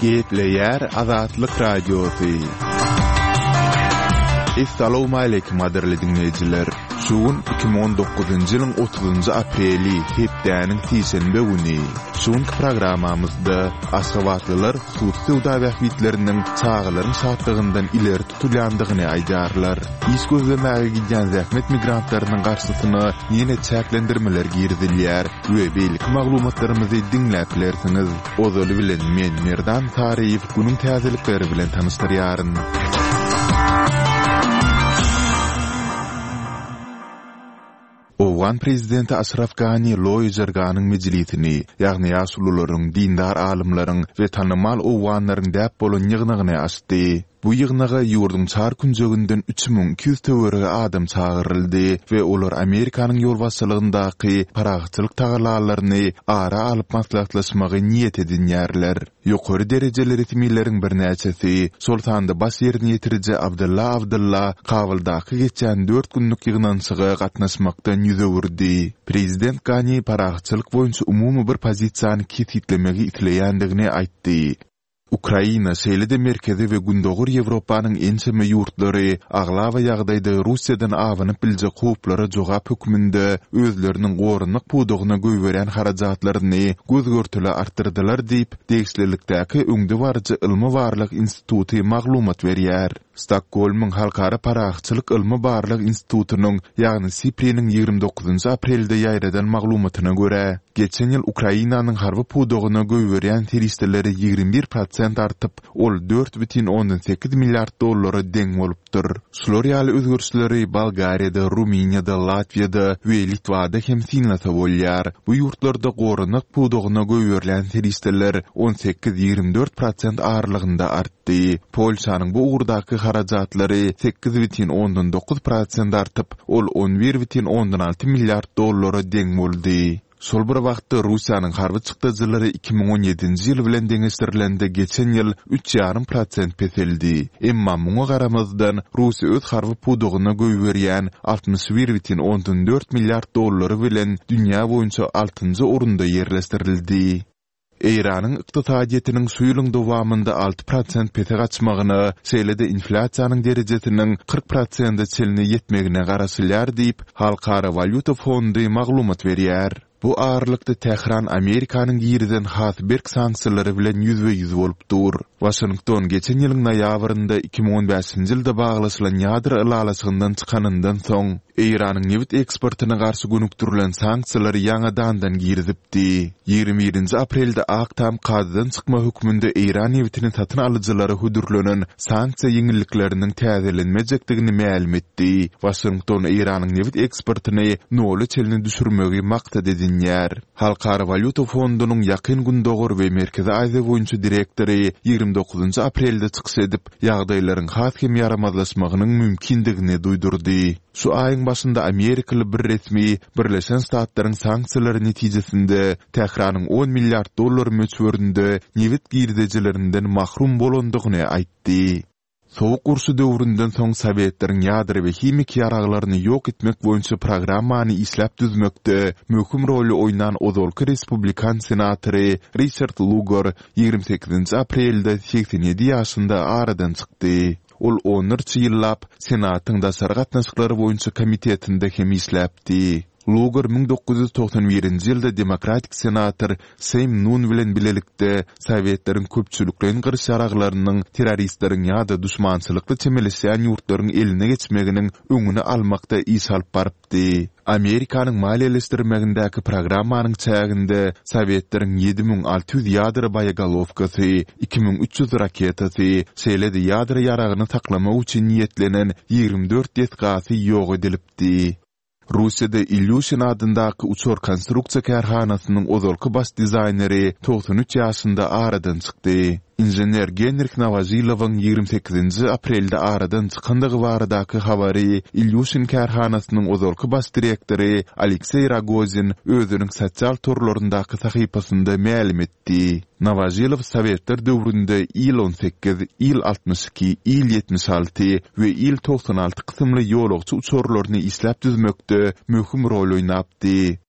Gepleýär Azatlyk Radiosy. Essalawmaleýkim gadyrly diňleýjiler! Şu gün 2019-njy ýylyň 30-njy apreli, hepdäniň sişenbe güni. Şu günki programmamyzda aşgabatlylar hususy söwda bähbitleriniň çagalaryň şatlygyndan ileri tutulýandygyny aýdýarlar. Iş gözlemäge gidýän zähmet migrantlarynyň garşysyna ýene çäklendirmeler girizilýär we beýleki maglumatlarymyzy diňläp bilersiňiz. Ozaly bilen men Merdan Saryýew günüň täzelikleri bilen tanyşdyrýaryn. Owgan prezidenti Aşraf Gani Loýa Jirganyň mejlisini, ýagny ýaşulularyň, dindar alymlaryň we tanymal owganlaryň däp bolan ýygnagyny açdy. Bu ýygnaga ýurduň çar künjeginden 3200 töweregi adam çagyryldy we olar Amerikanyň ýolbaşçylygyndaky parahatçylyk tagallalaryny ara alyp maslahatlaşmagy niýet edinýärler. Ýokary derejeli resmileriň birnäçesi, şol sanda baş ýerine ýetiriji Abdylla Abdylla Kabuldaky geçýän dört günlük ýygnanyşyga gatnaşmakdan ýüz öwürdi. Prezident Gani parahatçylyk boýunça umumy bir pozisiýany kesgitlemegi isleýändigini aýtdy. Ukraina, şeýle-de Merkezi we Gündogar Ýewropanyň ençeme ýurtlary aglaba ýagdaýda Russiýadan abanyp biljek howplara jogap hökmünde özleriniň goranmak pudagyna goýberýän harajatlaryny göz-görtele artdyrdylar diýip, degişlilikdäki öňdebaryjy ylmy-barlag instituty maglumat berýär. Stokgolmyň Halkara parahatçylyk ylmy-barlag institutynyň, ýagny SIPRI-niň 29 aprelde ýaýradan maglumatyna görä, geçen ýyl Ukrainanyň harby pudagyna goýberýän serişdeleri 21 prosent artyp, ol 4,8 milliard dollara deň bolupdyr. Şular ýaly özgerişleri Bolgariýada, Rumyniýada, Latwiýada we Litwada hem synlasa bolýar. Bu ýurtlarda goranmak pudagyna goýberilýän serişdeler 18, 24 prosent aralygynda artdy. Polşanyň bu ugurdaky harajatlary 8,9 prosent artyp, ol 11,6 milliard dollara deň boldy. Şol bir wagtda, Russiýanyň harby çykdajylary 2017-nji ýyl bilen deňeşdirilende geçen ýyl üç ýarym prosent peseldi. Emma muňa garamazdan, Russiýa öz harby pudagyna goýberýän 61,4 milliard dollary bilen dünýä boýunça altynjy orunda ýerleşdirildi. Eýranyň ykdysadyýetiniň şu ýylyň dowamynda 6 prosent pese gaçmagyna, şeýle-de inflýasiýanyň derejesiniň 40 prosente çenli ýetmegine garaşylýar diýip, Halkara walýuta fondy maglumat berýär. Bu aralykda Tähran Amerikanyň girizen has berk sanksiýalary bilen ýüzbe-ýüz bolup dur. Waşington geçen ýylyň noýabrynda 2015-nji ýylda baglaşylan ýadro ylalaşygyndan çykanyndan soň, Eýranyň nebit eksportyna garşy gönükdirilen sanksiýalary ýaňadandan girizipdi. 21-nji aprelde Ak Tam kadadan çykma hökmünde eýran nebitini satyn alyjylara hödürlenen sanksiýa ýeňillikleriniň täzelenmejekdigini mälim etdi. Waşington Eýranyň nebit eksportyny nola çenli düşürmegi maksat edinýär. Halkara walýuta fondunyň Ýakyn Gündogar we Merkezi Aziýa boýunça direktory 29-njy aprelde çykyş edip, ýagdaýlaryň has hem ýaramazlaşmagynyň mümkindigini duýdurdy. Şu aýyň başynda amerikaly bir resmi Birleşen Ştatlaryň sanksiýalary netijesinde Tähranyň on milliard dollar möçberinde nebit girdejilerinden mahrum bolandygyny aýtdy. Sowuk urşy döwründen soň sowetleriň ýadro we himiki ýaraglaryny ýok etmek boýunça programmany işläp düzmekde möhüm roly oýnan ozalky respublikan senatory Riçard Lugar 28-nji aprelde 87 ýaşynda aradan çykdy. Ol onlarça ýyllap Senatyň daşary gatnaşyklar boýunça komitetinde hem işläpdi. Lugar 1991-nji ýylda demokratik senator Sem Nun bilen bilelikde sowetleriň köpçülikleýin gyryş ýaraglarynyň terroristleriň ýa-da duşmançylykly çemeleşýän ýurtlaryň eline geçmeginiň öňüni almakda iş alyp barypdy. Amerikanyň maliýeleşdirmegindäki programmanyň çäginde sowetleriň 7600 ýadro boýegolowkasy, 2300 raketasy, şeýle-de ýadro ýaragyny saklamak üçin niýetlenen 24 desgasy ýok edilipdi. Russiýada Ilýuşin adyndaky uçar konstruksiýa kärhanasynyň ozalky baş dizaýneri 93 ýaşynda aradan çykdy. Inžener Genrih Nowožilowyň 28-nji aprelde aradan çykandygy baradaky habary Ilýuşin kärhanasynyň ozalky baş direktory Alekseý Rogozin özüniň sosial torlaryndaky sahypasynda mälim etdi. Nowožilow sowetler döwründe Il-18, Il-62, Il-76 we Il-96 kysymly ýolagçy uçarlaryny işläp düzmekde möhüm rol oýnapdy.